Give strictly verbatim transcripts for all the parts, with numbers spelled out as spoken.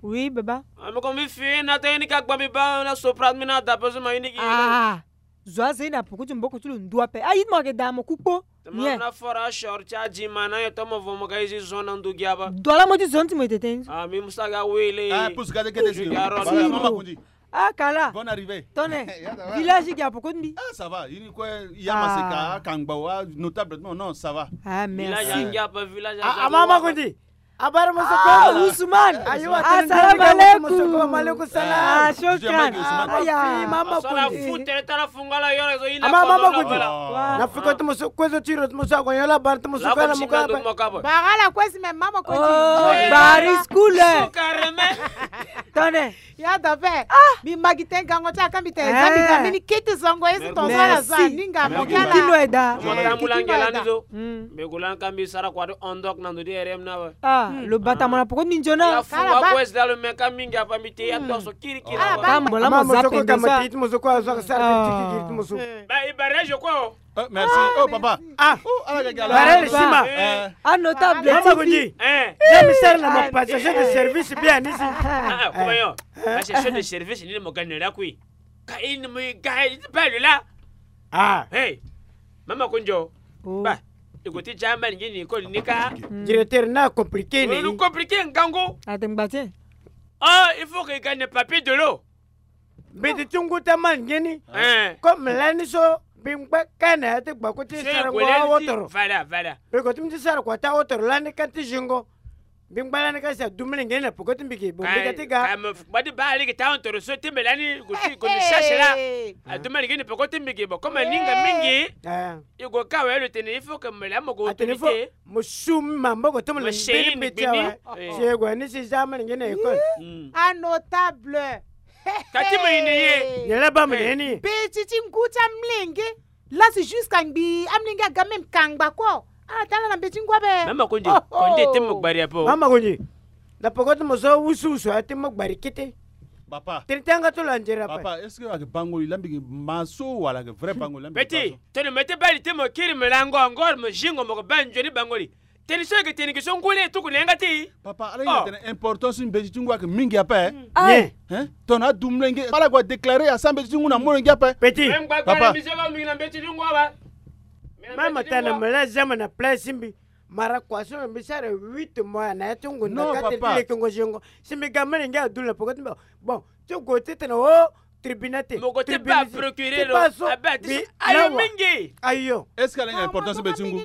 Oui, baba. Ah, mi ko mbi fi na ta ini ka gba mbi ba na Soprano mi na da pe so ma ini ki. Ah, zo aza ini apoko ti maboko ti lo ndu ape. Ah, ye ti mo ayeke daa mo ku kpo. Mien. Na fora short ti adima na ye to mo vo mo ga izi zo na ndu gi aba. Dola mo ti zo ti mo ete tënë. Ah, mi musa ga wele. Ah, pusu ga de kete si. Mama Kundi. Ah, kala. Bonne arrivée. Tone. Village gi apoko ti mbi. Ah, ça va. Ini kue ya maseka akangba wa notable. Non, non, ça va. Ah, merci. Village angi apa village. Ah, mama Kundi. Abara mo so ko. Ah, Ousmane. Ayo, assalamu alaikum. Wa alaikum salam. Ah, shukran. Ah, ya. Mama Kundi. Mama Kundi. Na fiko ti mo so kue so ti ro ti mo so akonyo la bara ti mo so kue la mo ka. Bara la kue si me Mama Kundi. Oh, bari school. Tone. Ya da pe. Ah. Mbi ma gi tënë gango ti aka mbi tene. Eh. Za mbi ga mbeni kete zongo ye si tongaso ala za. Merci. Ninga mo kala. Kino eda. Mo tambula nge lani so. Mm. Mbi gue lani ka mbi sara kua ti ondok na ndo ti R M na we. Ah, lo bata mo na poko ti mbi nzoni. Ala fu wa kue si da lo me ka mingi apa mbi te ya tongaso kirikiri. Ala ba. Ka mbo la mo za pende so. Ka mo te ti mo so kue azo aka sara ti kirikiri ti mo so. Ba i barrage kue o. Euh, merci. Ah, oh, merci. Papa. Ah. Oh, ala ga ga la. Barrel sima. Eh. Ah, notable. Mama Kundi. Eh. Ya mi sara na mo passation de service bien ici. Ah, ah, comment yo? Passation de service ni mo gagner la kui. Ka ini mo ga ti belle la. Ah. Hey. Mama Kundi. Oh. Ba. I ko ti jamba ni ni ko ni ka. Directeur na compliqué ni. Compliqué ngango. Atengbate. Ah, il faut que gagne papier de l'eau. Mbeti ti ngu ti amani nge ni. Eh. Comme lani so mbi ngba ka na ya ti gbako ti sarango awotoro. Voilà, voilà. Mbi ko ti mbi ti sara kua ti awotoro lani ka ti zingo. Mbi ngba lani ka si adu mbi lenge ni na poko ti mbi ge bo mbi ka ti ga. Kpa ti baa lege ti awotoro so ti mbi lani ko ti ko ni sasi la. Adu mbi lenge ni poko ti mbi ge bo comme aninga mingi. Eh. I gue ka awe lo tene il faut que mbi la mo ko. Atene il faut mo su mbi maboko ti mo lo mbeni mbeti awe. Si e gue ni si za mbi lenge na école. Ah, notable. Ka ti mo yende ye. Nyen la baa mo na ye ni? Mbeti ti ngu ti amlenge. Lasi jusqu'à ngbii amlenge aga même kangba kue. Ala tala na mbeti ti ngu ape. Mama Kundi, Kundi ti mo gbari ape o. Mama Kundi. Na poko ti mo so wusuwusu aya ti mo gbari kete. Papa. Tene ti yanga ti lo anzere ape. Papa, est-ce que ayeke bangoli la mbi gi ma so wala ayeke vrai bangoli la mbi gi ma so? Petit, tene mo ye ti baa li ti mo kiri mo lango angor mo zingo mo ko baa nzoni bangoli. Tene so yeke tene gi so ngoli e tuku na yanga ti. Papa, ala hinga tene importance ti mbeti ti ngu ayeke mingi ape. Aye. Hein? Tongana adu molenge ala gue déclarer asa mbeti ti ngu na molenge ape. Petit. Papa. Même tene mo la zama na place ti mbi. Mara kua so mbi sara huit mois na ya ti ngu na ka tene ti lekengo zengo. Si mbi ga molenge adu na poko ti mbi. Bon, ti gue ti tene o. Tribunal te. Mo ko ti baa procureur o. Abaa ti so ayo mingi. Ayo. Est-ce que ala hinga importance mbeti ti ngu?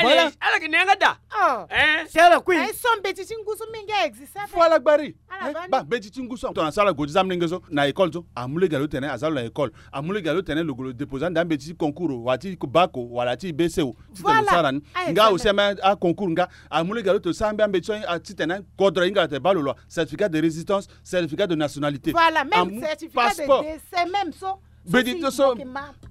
Voilà. Ala yeke na yanga daa. Si ala kui. Aye so mbeti ti ngu so mingi existe ape. Faut ala gbari. Baa mbeti ti ngu so tongana so ala gue ti za amolenge so na école so amu lege alo ti tene aza lo na école. Amu lege alo ti tene lo gue lo déposer ande ambeti ti concours o wala ti bac o wala ti B C o. Ti tene lo sara ni. Nga aussi ame aconcours nga amu lege alo ti lo sara mbi ambeti so ti tene kodro ahinga lo tene baa lo lo certificat de résidence. Certificat de nationalité. Voilà, même certificat de décès même so. Mbeti ti so.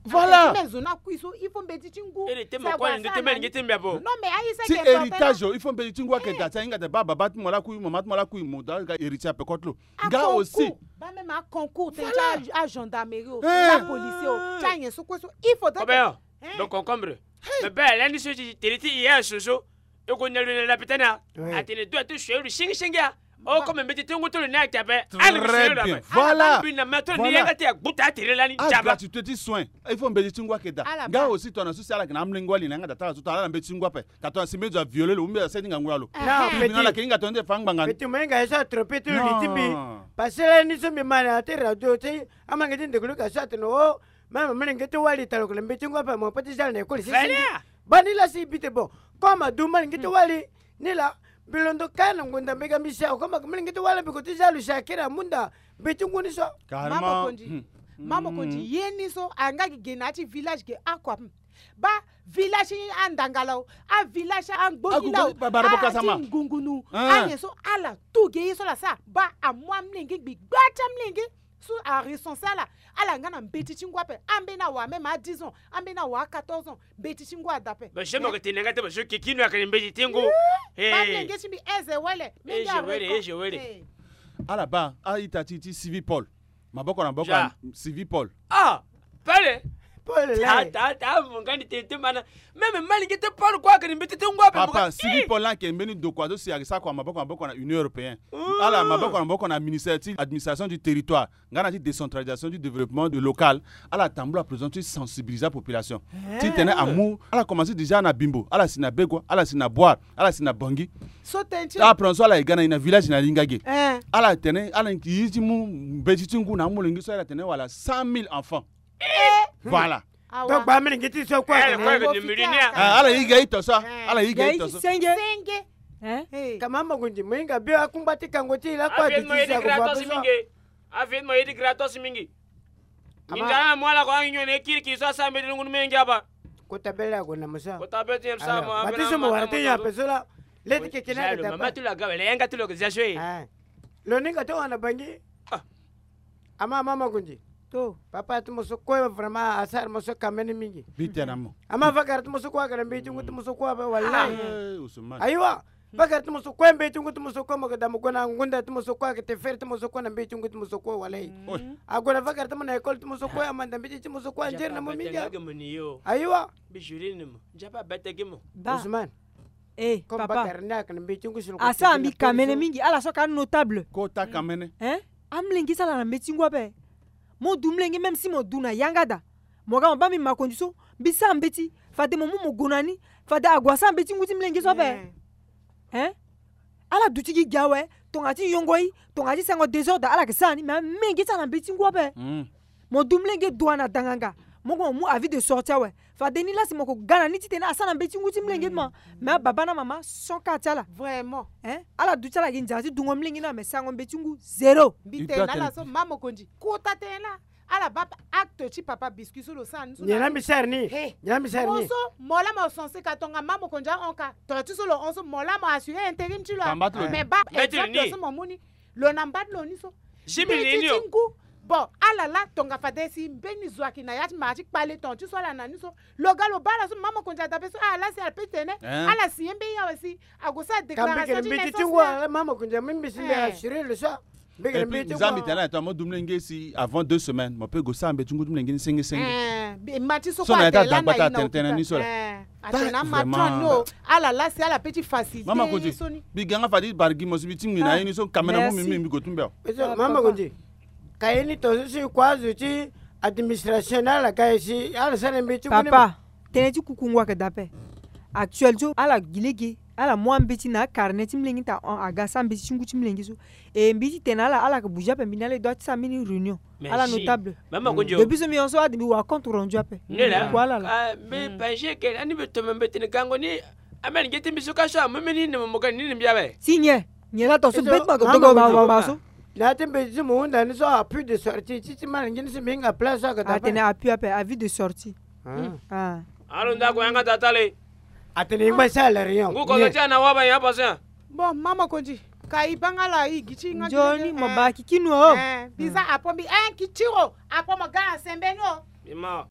Voilà. Même zo na kui so il faut mbeti ti ngu. Ere te mo kue ni ndu te mbi alingbi ti mbi abo. Non mais aye ti héritage o il faut mbeti ti ngu ayeke daa ti ahinga daa baa baba ti mo lakui mama ti mo lakui mo daa ga héritier ape kotelo. Nga aussi. Baa même aconcours tene ti agendarmerie o ti apolicier o ti anyen so kue so il faudrait. Combien? Donc concombre. Mais baa lani so ti tene ti hier so so. E ko na lo na lapitani a. Atene do ate sue lo singisingi a. O comme mbeti ti ngu ti lo ni ayeke ape. Très bien. Voilà. Mbi na ma ti lo ni yanga ti agbuta atere lani nzaba. Gratuité ti soin. Il faut mbeti ti ngu ayeke daa. Nga aussi tongana so si ala yeke na amolenge wali na yanga daa ti ala so tongana ala na mbeti ti ngu ape. Ka tongana si mbeni zo aviole lo ou mbeni zo aseni ngangu na lo. Tribunal ayeke hinga tongana ti fa ngbanga ni. Mbeti mo hinga ye so atrope ti lo li ti mbi. Parce que lani so mbi ma na ya ti radio ti amolenge ti ndeko luka so atene o. Même amolenge ti wali talo ko na mbeti ti ngu ape mo pe ti za lo na école si. Baa ni lasi bi te bon. Comme adu molenge ti wali ni laa. Mbi londo kâ na ngonda mbi ga mbi si ako mbi ga molenge ti wali mbi ko ti za lo si akiri amu nda mbeti ti ngu ni so. Carrément. Mama Kondi. Mama Kondi ye ni so anga gi ge na ya ti village ge ako ape. Baa village ti andangala o, avillage ti angbongi la o, ati ngungunu. Anyen so ala tu ge ye so la sara baa amu amolenge gbi gbaa ti amolenge. So arecense ala. Ala nga na mbeti ti ngu ape. Ambeni awa même a dix ans, ambeni awa a quatorze ans. Mbeti ti ngu ada ape. Ba jeunes mo yeke tene nga te ba jeunes kikino ayeke na mbeti ti ngu. Baa mlenge ti mbi aise wele. Mlenge areco. Ala baa a-ita ti ti Civipol. Maboko na maboko ya Civipol. Ah, pele. Pole le. Ata ata avo nga ni tete mana. Meme malingi te Paul kua ake ni mbeti ti ngu ape. Papa, Sylvie Paul ake mbeni dokua so si ake sa kua maboko maboko na Union Européenne. Ala maboko maboko na ministère ti administration du territoire nga na ti décentralisation du développement de local. Ala tambula président ti sensibiliser population. Ti tene amu ala commencé déjà na Bimbo, ala si na Begua, ala si na Boar, ala si na Bangui. So tene ti ala président so ala ye ga na ye na village na Lingage. Ala tene ala ye ti mu mbeti ti ngu na amolenge so ala tene wala cent mille enfants. Voilà. Donc ba mini ngi ti so kue. Ala yiga ito so. Ala yiga ito so. Senge. Kama makundi mo hinga bio akungba ti kango ti la kue ti ti sa ko ba so. Afi mo yedi gratos mingi. Mingi ala mo ala ko angi nyone kiriki so asa mbeti ngu menge aba. Kota bele ago na musa. Kota bele ti sa mo. Batiso mo wara ti ya peso la. Leti kekena mama tu la gawe le yanga tu lo ke jaswe. Lo ninga to wana Bangui. Ama mama kundi. To papa ti mo so kue vraiment asara mo so kamene mingi. Bi tena mo. Ama vakara ti mo so kue akara mbeti ngu ti mo so kue ape wallahi. Ayiwa. Vakara ti mo so kue mbeti ngu ti mo so kue mo ke da mo gue na ngunda ti mo so kue ake te fere ti mo so kue na mbeti ngu ti mo so kue wallahi. Ague na vakara ti mo na école ti mo so kue amanda mbeti ti mo so kue anzere na mo mingi. Ayiwa. Bi juri ni mo. Nzapa bete gi mo. Ousmane. Eh, papa. Asara mbi kamene mingi ala so ka notable. Kota kamene. Amlenge ti ala na mbeti ngu ape. Mo du mlenge même si mo du na yanga da. Mo ga mo ba mbi makonzi so mbi sara mbeti fade mo mu mo gue na ni. Fade ague asara mbeti ngu ti mlenge so ape. Ala duti gi gi awe. Tonga ti yongo i tonga ti sengo désordre ala ke sara ni mais amenge ti ala na mbeti ngu ape. Mo du mlenge dua na danganga. Mo gue mo mu avis de sortie awe. Fade ni la si mo ko ga na ni titene asara na mbeti ngu ti mlenge ti mo. Mais ababa na mama son ka ti ala. Vraiment. Ala duti ala gi nzara ti dungo mlenge ni awe mais sarango mbeti ngu zéro. Mbi tene na ala so mama mokonzi kota tene na ala baa acte ti papa biscuit so lo sara ni so. Nyen la mbi sara ni? Nyen la mbi sara ni? Mo so mo la mo censé ka tonga mama mokonzi ahon ka. Tonga ti so lo hon so mo la mo assurer intérim ti lo. Mais baa exemple so mo mu ni. Lo na mbadi lo ni so. Mbeti ti ngu. Bon ala la tonga fade si mbeni zo ayeke na ya ti mara ti kpale tonga ti so ala na ni so. Lo ga lo baa ala so mama mokonzi adabe so ala la si ala pe ti tene. Ala signer mbeni awe si ague sara déclaration ti naissance. Mama mokonzi amemi mbi si mbi assurer lo so. Mbi tene na ala tongana mo du mlenge si avant deux semaines mo pe gue sara mbeti ngu ti mlenge ni senge senge. Ma ti so kue atene tene ni so la. Atene ama ti ni o. Ala la si ala pe ti facilité. Mama kote so ni. Mbi ga nga fade ti bari gi mo si mbi tingbi na ye ni so kamera mu mbi mbi gue ti mbi awe. Mama kote. Ka ye ni tongaso si kua azo ti administration ni ala ga ye si ala sara mbeti ngu ni. Papa, tënë ti kukungu ayeke daa ape. Actuel so ala gi lege ala mu ambeti na akarne ti mlenge ti ahon aga sara mbeti ti ngu ti mlenge so. E mbi ti tene na ala ala yeke bouger ape mbi na ala e doit ti sara mbeni réunion. Ala notable. Depuis so mbi hon so ade mbi wara compte rendu ape. Mbi kue ala laa. Mbi pense ke ani mbi tene mbi tene gango ni. Amen nge ti mbi so ka so amu mbeni ni mo mo ga ni ni mbi awe. Si nyen nyen la tongaso beti ma ko dogo ma ma so. Na ti mbeti ti mo hunda ni so appui de sortie ti ti mara ngi ni si mbi hinga place so aka tapa. Atene appui ape avis de sortie. Alo ndako yanga tata le. Atene i ngba sara la réunion ngu kozo ti ana waba ya passe. Bon mama kondi ka i banga la i gi ti nga. Nzoni mo ba kikinu o. Biza apo mbi en kitiro apo mo ga na sembeni o. Ima.